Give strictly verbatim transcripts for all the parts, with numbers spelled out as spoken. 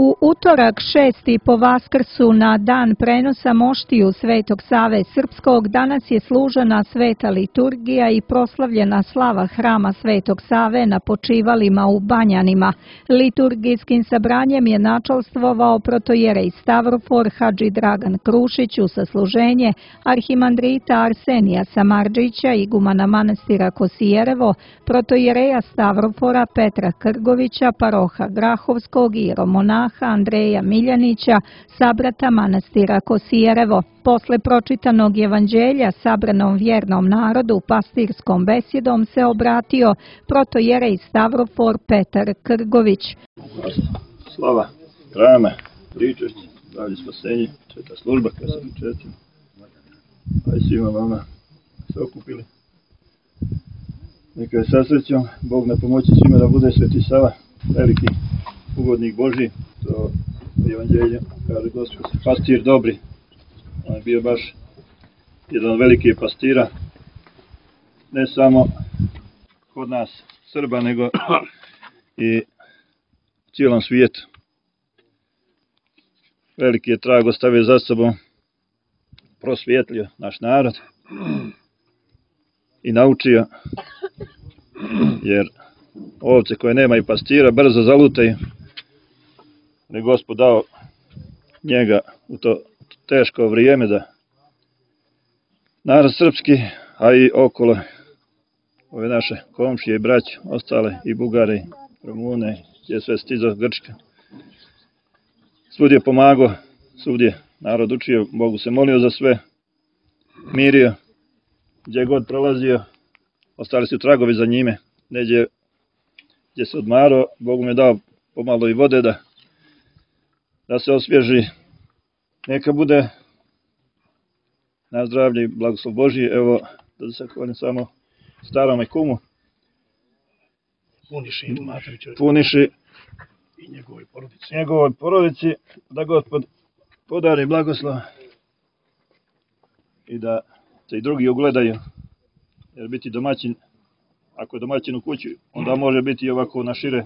U utorak šesti po Vaskrsu na dan prenosa moštiju Svetog Save Srpskog danas je služena sveta liturgija i proslavljena slava hrama Svetog Save na počivalima u Banjanima. Liturgijskim sabranjem je načalstvovao protojerej Stavrofor Hadži Dragan Krušić u sasluženje arhimandrita Arsenija Samardžića, igumana manastira Kosijerevo, protojereja Stavrofora Petra Krgovića, paroha Grahovskog i romonaha Andreja Miljanića, sabrata manastira Kosijerevo. Posle pročitanog evanđelja sabranom vjernom narodu pastirskom besjedom se obratio protojerej Stavrofor Petar Krgović. Slava hrama, pričešće, zdravlje, spasenje, sveta služba koja se pričeća. A i svima vama se okupili. Neka je sa srećom, Bog na pomoći svima da bude Sveti Sava, veliki ugodnik Božji. To evanđelje kaže Gospod, pastir dobri. On je bio baš jedan od velikih pastira, ne samo kod nas Srba, nego i u cijelom svijetu. Veliki je trag ostavio za sobom, prosvjetlio naš narod i naučio, jer ovce koje nemaju pastira brzo zalutaju. Ne Gospod dao njega u to teško vrijeme da narod srpski, a i okolo ove naše komšije i braće, ostale i Bugare, i Rumune, gdje je sve stizao Grčka. Svud je pomagao, svud je narod učio, Bogu se molio za sve, mirio, gdje god prolazio, ostali su tragovi za njime, neđe gdje se odmarao, Bogu mi je dao pomalo i vode da da se osvježi, neka bude na zdravlje i blagoslov Božji. Evo, da se zahvalim samo starome kumu, Puniši, Puniši i njegovoj porodici. njegovoj porodici, da Gospod podari blagoslov i da se i drugi ugledaju, jer biti domaćin, ako je domaćin u kući, onda može biti i ovako na šire,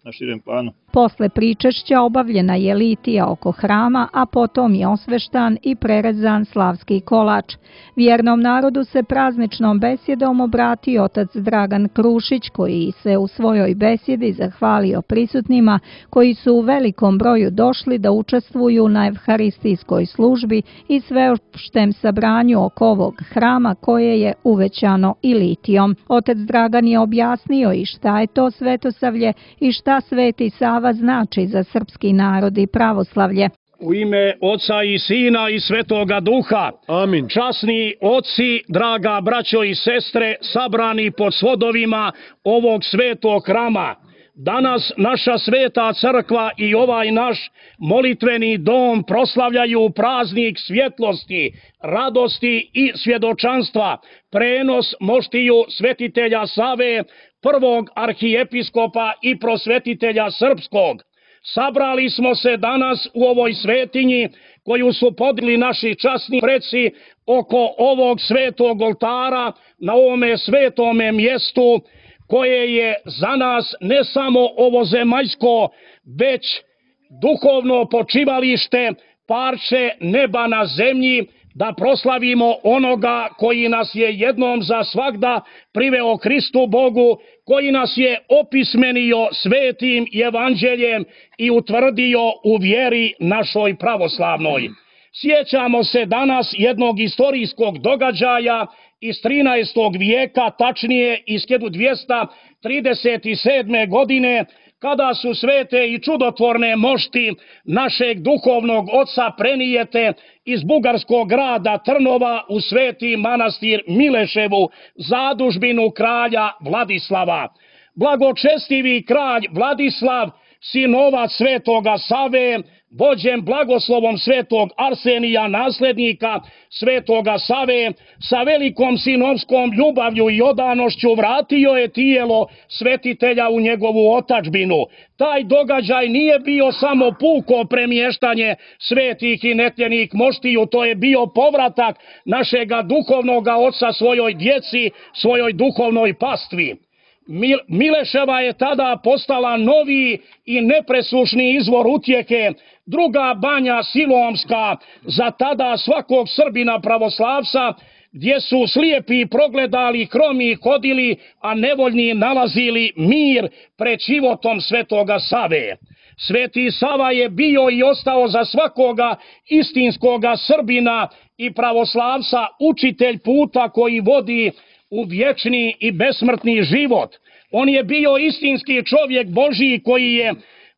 na širem planu. Posle pričešća obavljena je litija oko hrama, a potom je osveštan i prerezan slavski kolač. Vjernom narodu se prazničnom besjedom obratio otac Dragan Krušić, koji se u svojoj besjedi zahvalio prisutnima koji su u velikom broju došli da učestvuju na evharistijskoj službi i sveopštem sabranju oko ovog hrama koje je uvećano i litijom. Otac Dragan je objasnio i šta je to svetosavlje i šta Sveti Sava znači za srpski narod i pravoslavlje. U ime Oca i Sina i Svetoga Duha. Amin. Časni oci, draga braćo i sestre, sabrani pod svodovima ovog svetog hrama. Danas naša sveta crkva i ovaj naš molitveni dom proslavljaju praznik svjetlosti, radosti i svjedočanstva, prenos moštiju svetitelja Save, prvog arhijepiskopa i prosvetitelja srpskog. Sabrali smo se danas u ovoj svetinji koju su podigli naši časni preci oko ovog svetog oltara na ovome svetome mjestu koje je za nas ne samo ovozemaljsko, već duhovno počivalište, parče neba na zemlji, da proslavimo onoga koji nas je jednom za svagda priveo Hristu Bogu, koji nas je opismenio svetim evanđeljem i utvrdio u vjeri našoj pravoslavnoj. Sjećamo se danas jednog istorijskog događaja iz trinaestog vijeka, tačnije iz hiljadu dvjesto trideset sedme. godine, kada su svete i čudotvorne mošti našeg duhovnog oca prenijete iz bugarskog grada Trnova u sveti manastir Mileševu, zadužbinu kralja Vladislava. Blagočestivi kralj Vladislav, sinovac svetoga Save, vođen blagoslovom svetog Arsenija, naslednika svetoga Save, sa velikom sinovskom ljubavlju i odanošću vratio je tijelo svetitelja u njegovu otadžbinu. Taj događaj nije bio samo puko premještanje svetih i netljenih moštiju, to je bio povratak našega duhovnoga oca svojoj djeci, svojoj duhovnoj pastvi. Mileševa je tada postala novi i nepresušni izvor utjehe, druga banja Silomska za tada svakog Srbina pravoslavca, gdje su slijepi progledali, kromi hodili, a nevoljni nalazili mir pred životom Svetoga Save. Sveti Sava je bio i ostao za svakoga istinskoga Srbina i pravoslavca učitelj puta koji vodi u vječni i besmrtni život. On je bio istinski čovjek Božiji koji je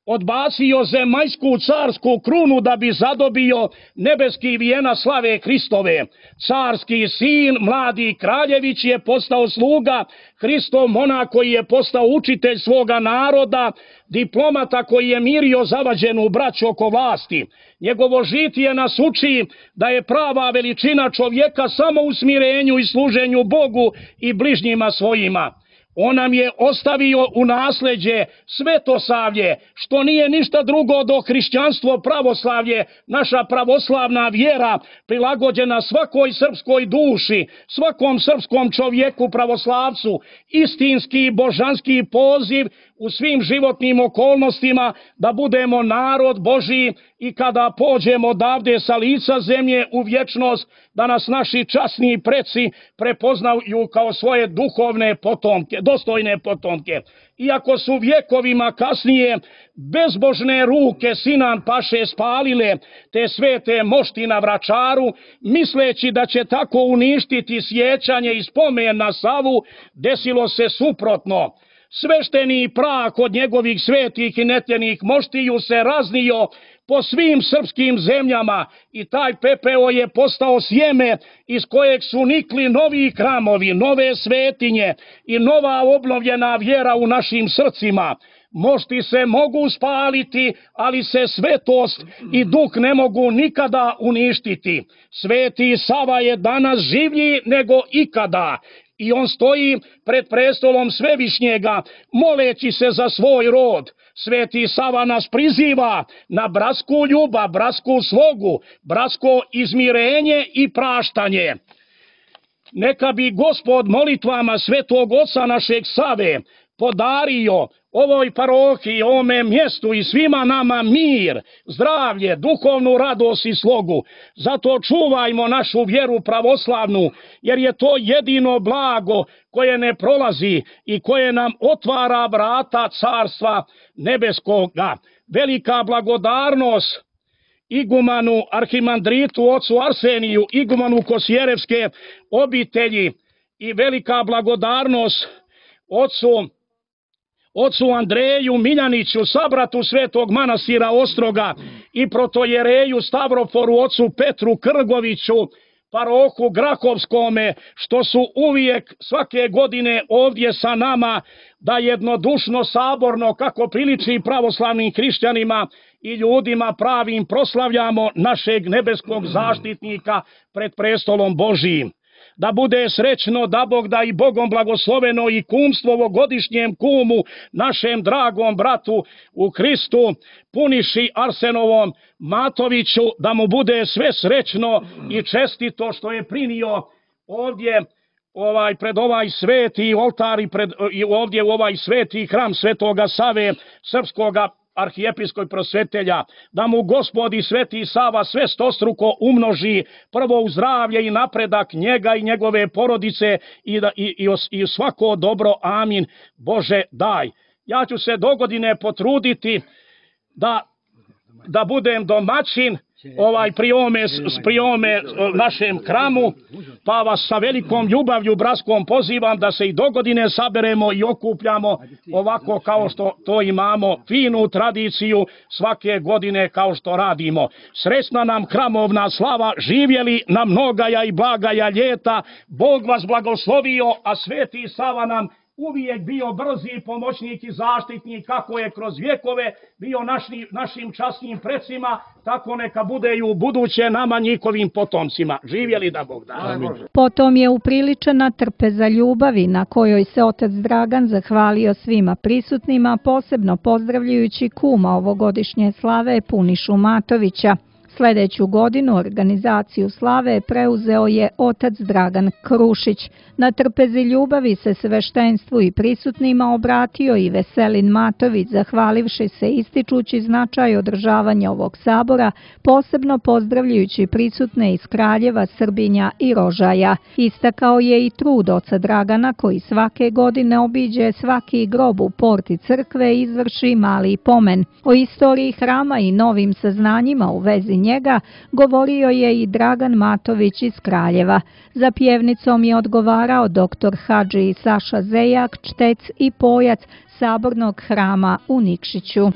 odbacio zemaljsku carsku krunu da bi zadobio nebeski vijena slave Hristove. Carski sin, mladi kraljević, je postao sluga Hristov monah koji je postao učitelj svoga naroda, diplomata koji je mirio zavađenu braću oko vlasti. Njegovo žitije nas uči da je prava veličina čovjeka samo u smirenju i služenju Bogu i bližnjima svojima. On nam je ostavio u nasljeđe svetosavlje, što nije ništa drugo do hrišćanstvo pravoslavlje, naša pravoslavna vjera prilagođena svakoj srpskoj duši, svakom srpskom čovjeku pravoslavcu, istinski božanski poziv u svim životnim okolnostima da budemo narod Božiji i kada pođemo odavde sa lica zemlje u vječnost, da nas naši časni preci prepoznaju kao svoje duhovne potomke, dostojne potomke. Iako su vjekovima kasnije bezbožne ruke Sinan Paše spalile te svete mošti na Vračaru, misleći da će tako uništiti sjećanje i spomen na Savu, desilo se suprotno. Svešteni prah od njegovih svetih i netljenih moštiju se raznio po svim srpskim zemljama i taj pepeo je postao sjeme iz kojeg su nikli novi hramovi, nove svetinje i nova obnovljena vjera u našim srcima. Mošti se mogu spaliti, ali se svetost i duh ne mogu nikada uništiti. Sveti Sava je danas življi nego ikada. I on stoji pred prestolom Svevišnjega, moleći se za svoj rod. Sveti Sava nas priziva na bratsku ljubav, bratsku slogu, bratsko izmirenje i praštanje. Neka bi Gospod molitvama Svetog Oca našeg Save podario ovoj parohiji, ovome mjestu i svima nama mir, zdravlje, duhovnu radost i slogu. Zato čuvajmo našu vjeru pravoslavnu, jer je to jedino blago koje ne prolazi i koje nam otvara vrata carstva nebeskoga. Velika blagodarnost igumanu arhimandritu ocu Arseniju, igumanu Kosjerevske obitelji i velika blagodarnost ocu Ocu Andreju Miljaniću, sabratu Svetog manastira Ostroga i protojereju Stavroforu, ocu Petru Krgoviću, parohu Grahovskome, što su uvijek svake godine ovdje sa nama, da jednodušno, saborno, kako priliči pravoslavnim hrišćanima i ljudima pravim, proslavljamo našeg nebeskog zaštitnika pred prestolom Božijim. Da bude srećno, da Bog da i Bogom blagosloveno i kumstvo ovogodišnjem kumu, našem dragom bratu u Hristu, Puniši Arsenovom Matoviću, da mu bude sve srećno i čestito što je prinio ovdje ovaj pred ovaj sveti oltar i, pred, i ovdje u ovaj sveti hram Svetoga Save, srpskoga arhijepiskoj prosvetelja, da mu Gospod i Sveti Sava sve stostruko umnoži, prvo u zdravlje i napredak njega i njegove porodice i, da, i, i, i svako dobro, amin, Bože daj. Ja ću se dogodine potruditi da, da budem domaćin ovaj pri ovome, pri ovome našem hramu, pa vas sa velikom ljubavlju bratskom pozivam da se i dogodine saberemo i okupljamo ovako kao što to imamo, finu tradiciju svake godine kao što radimo. Srećna nam hramovna slava, živjeli na mnogaja i blagaja ljeta, Bog vas blagoslovio, a Sveti Sava nam uvijek bio brzi pomoćnik i zaštitnik, kako je kroz vjekove bio naši, našim časnim precima, tako neka bude i u buduće nama njihovim potomcima. Živjeli da Bog da. Amin. Potom je upriličena trpeza ljubavi na kojoj se otac Dragan zahvalio svima prisutnima, posebno pozdravljajući kuma ovogodišnje slave Punišu Matovića. Sljedeću godinu organizaciju slave preuzeo je otac Dragan Krušić. Na trpezi ljubavi se sveštenstvu i prisutnima obratio i Veselin Matović, zahvalivši se ističući značaj održavanja ovog sabora, posebno pozdravljajući prisutne iz Kraljeva, Srbinja i Rožaja. Istakao je i trud oca Dragana koji svake godine obiđe svaki grob u porti crkve i izvrši mali pomen. O istoriji hrama i novim saznanjima u vezi njega govorio je i Dragan Matović iz Kraljeva. Za pjevnicom je odgovarao doktor Hadži Saša Zejak, čtec i pojac Sabornog hrama u Nikšiću.